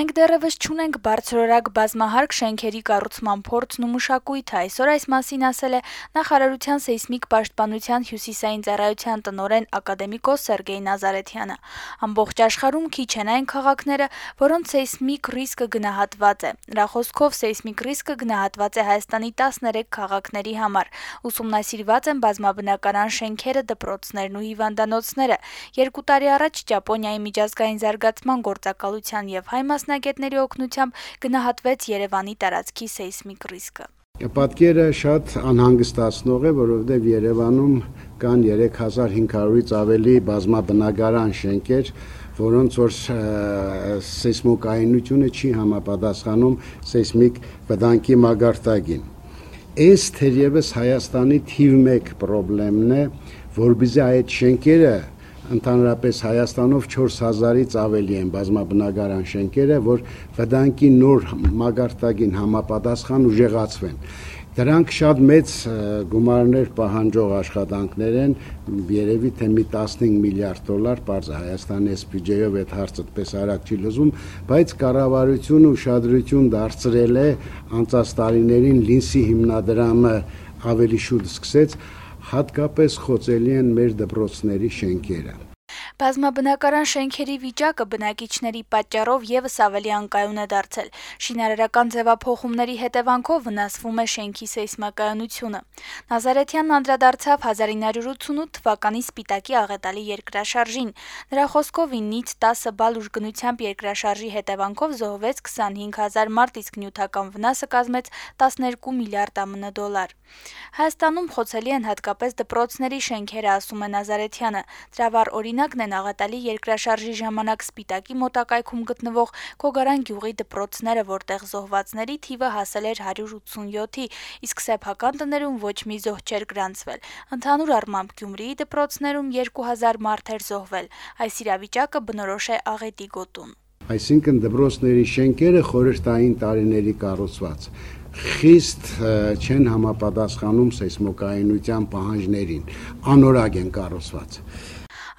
Մենք դեռևս չունենք բարձրորակ բազմահարկ շենքերի կառուցման փորձն ու մշակույթը, այսօր այս մասին ասել է նախարարության սեյսմիկ պաշտպանության հյուսիսային ծառայության տնօրեն ակադեմիկոս Սերգեյ Նազարեթյանը։ Ամբողջ աշխարհում քիչ են այն քաղաքները, որոնց սեյսմիկ ռիսկը գնահատված է։ Նրա խոսքով սեյսմիկ ռիսկը գնահատված է Հայաստանի 13 քաղաքների համար։ Ուսումնասիրված են բազմաբնակարան շենքերը, դպրոցներն ու հիվանդանոցները։ 2 տարի առաջ Ճապոնիայի միջազգային զարգացման գործակալության եւ հայ մասնագետների օգնությամբ գնահատվեց Երևանի տարածքի սեյսմիկ ռիսկը։ Պատկերը շատ անհանգստացնող է, որովհետև Երևանում կան 3500-ից ավելի բազմաբնակարան շենքեր, որոնց որ սեյսմոկայունությունը չի համապատասխանում սեյսմիկ վտանգի մագարտակին։ Այս թերևս Հայաստանի թիվ 1 խնդիրն է, որբիզի այդ շենքերը ընդհանրապես Հայաստանով 4000-ից ավելի են բազմաբնակարան շենքերը, որ վտանգի նոր մագարտակին համապատասխան ուժեղացվեն։ Դրանք շատ մեծ գումարներ պահանջող աշխատանքներ են, երևի թե մի 15 միլիարդ դոլար, պարզ Հայաստանի այս բյուջեով այդ հարցը պես արագ չի լուծում, բայց կառավարությունը ուշադրություն դարձրել է անցած տարիներին Լինսի հիմնադրամը ավելի շուտ սկսեց, հատկապես խոցելի են մեր դպրոցների շենքերը։ Բազմաբնակարան շենքերի վիճակը բնակիչների պատճառով եւս ավելի անկայուն է դարձել։ Շինարարական ձևափոխումների հետևանքով վնասվում է շենքի սեյսմակայունությունը։ Նազարեթյանն անդրադարձավ 1988 թվականի Սպիտակի աղետալի երկրաշարժին։ Նրա խոսքով 9-ից 10 բալ ուժգնությամբ երկրաշարժի հետևանքով զոհվեց 25000 մարդ, իսկ նյութական վնասը կազմեց 12 միլիարդ ԱՄՆ դոլար։ Հայաստանում խոցելի են հատկապես դպրոցների շենքերը, ասում է Նազարեթյանը։ Դրա վառ օրինակն են աղետալի երկրաշարժի ժամանակ Սպիտակի մոտակայքում գտնվող Քոգարան գյուղի դպրոցները, որտեղ զոհվածների թիվը հասել էր 187-ի, իսկ սեփական տներում ոչ մի զոհ չէր գրանցվել։ Ընդհանուր առմամբ Գյումրիի դպրոցներում 2000 մարդ էր զոհվել։ Այս իրավիճակը բնորոշ է աղետի գոտուն։ Այսինքն դպրոցների շենքերը խորհրդային տարիների կառուցված խիստ չեն համապատասխանում սեյսմոկայունության պահանջներին, անորակ են կառուցված։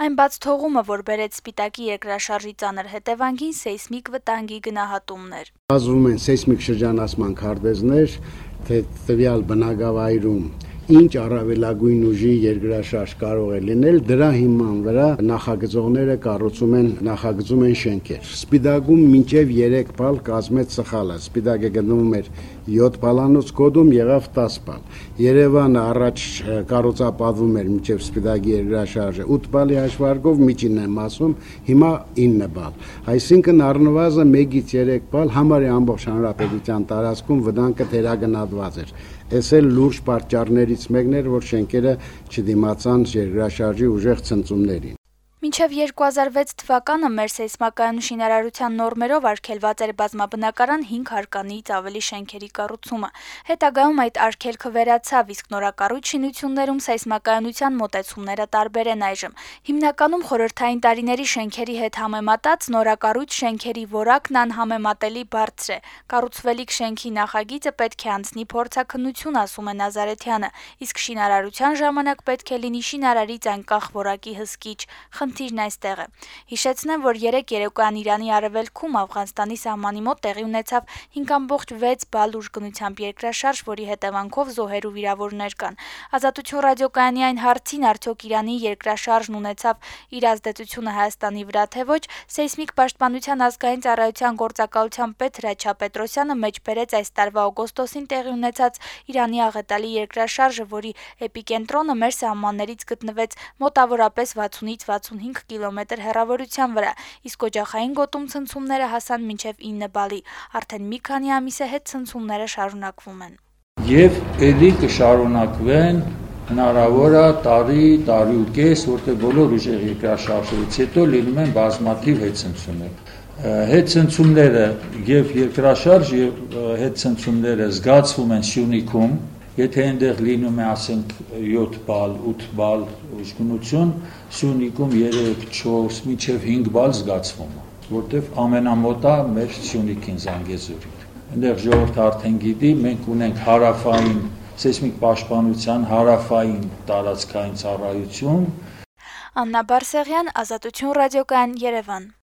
Այն բաց թողումը, որ բերեց Սպիտակի երկրաշարժի ծանր հետևանքին, սեյսմիկ վտանգի գնահատումն էր։ Բազվում են սեյսմիկ շրջանացման քարտեզներ, թե տվյալ բնակավայրում ինչ առավելագույն ուժի երկրաշարժ կարող է լինել, դրա հիման վրա նախագծողները նախագծում են շենքեր։ Սպիտակում մինչև 3 բալ կազմեց սխալը։ Սպիտակը գտնվում էր 7 բալանոց կոդում, եղավ 10 բալ։ Երևանը առաջ կառուցապատվում էր մինչև Սպիտակի երկրաշարժը 8 բալի հաշվարկով, միջինն եմ ասում, հիմա 9 բալ։ Այսինքն առնվազն 1-ից 3 բալ համարյա ամբողջ հանրապետության տարածքում վտանգը թերագնահատված էր։ Այս էլ լուրջ պատճառներից մեկն էր, որ շենքերը չդիմացան երկրաշարժի ուժեղ ցնցումներին։ Մինչև 2006 թվականը մեր սեյսմակայուն շինարարության նորմերով արգելված էր բազմաբնակարան 5 հարկանից ավելի շենքերի կառուցումը։ Հետագայում այդ արգելքը վերացավ, իսկ նորակառույց շինություններում սեյսմակայունության մոտեցումները տարբեր են այժմ։ Հիմնականում խորհրդային տարիների շենքերի հետ համեմատած նորակառույց շենքերի որակն անհամեմատելի բարձր է։ Կառուցվելիք շենքի նախագիծը պետք է անցնի փորձաքննություն, ասում է Նազարեթյանը, իսկ շինարարության ժամանակ պետք է լինի շինարարից անկախ որակի հսկիչ։ Խնդիրն այստեղ է։ Հիշեցնեմ, որ 3 երեկոյան Իրանի արևելքում Աֆղանստանի սահմանի մոտ տեղի ունեցավ 5.6 բալ ուժգնությամբ երկրաշարժ, որի հետևանքով զոհեր ու վիրավորներ կան։ Ազատություն ռադիոկայանի այն հարցին, արդյոք Իրանի երկրաշարժն ունեցավ իր ազդեցությունը Հայաստանի վրա, թե ոչ, սեյսմիկ պաշտպանության ազգային ծառայության գործակալության պետ Հրաչյա Պետրոսյանը մեջբերեց այս տարվա օգոստոսին տեղի ունեցած Իրանի աղետալի երկրաշարժը, որի էպիկենտրոնը մեր սահմաններից գտնվեց մոտավորապես 60-ից 65 կիլոմետր հեռավորության վրա, իսկ օջախային գոտում ցնցումները հասան մինչև 9 բալի։ Արդեն մի քանի ամիս է հետ ցնցումները շարունակվում են։ Եվ ելի կշարունակվեն հնարավոր է տարի ու կես, որտեղ բոլոր ուժեղ երկրաշարժից հետո լինում են բազմաթիվ հետցնցումներ։ Հետցնցումները եւ երկրաշարժ եւ հետցնցումները զգացվում են Սյունիքում, եթե այնտեղ լինում է, ասենք 7 բալ, 8 բալ ուժգնություն, Սյունիքում 3, 4, մինչև 5 բալ զգացվում է, որտեղ ամենամոտը մեր Սյունիքին Զանգեզուրին։ Այնտեղ ժողովուրդը արդեն գիտի, մենք ունենք հարավային սեյսմիկ պաշտպանության հարավային տարածքային ծառայություն։ Աննա Բարսեղյան, Ազատություն ռադիոկայան, Երևան։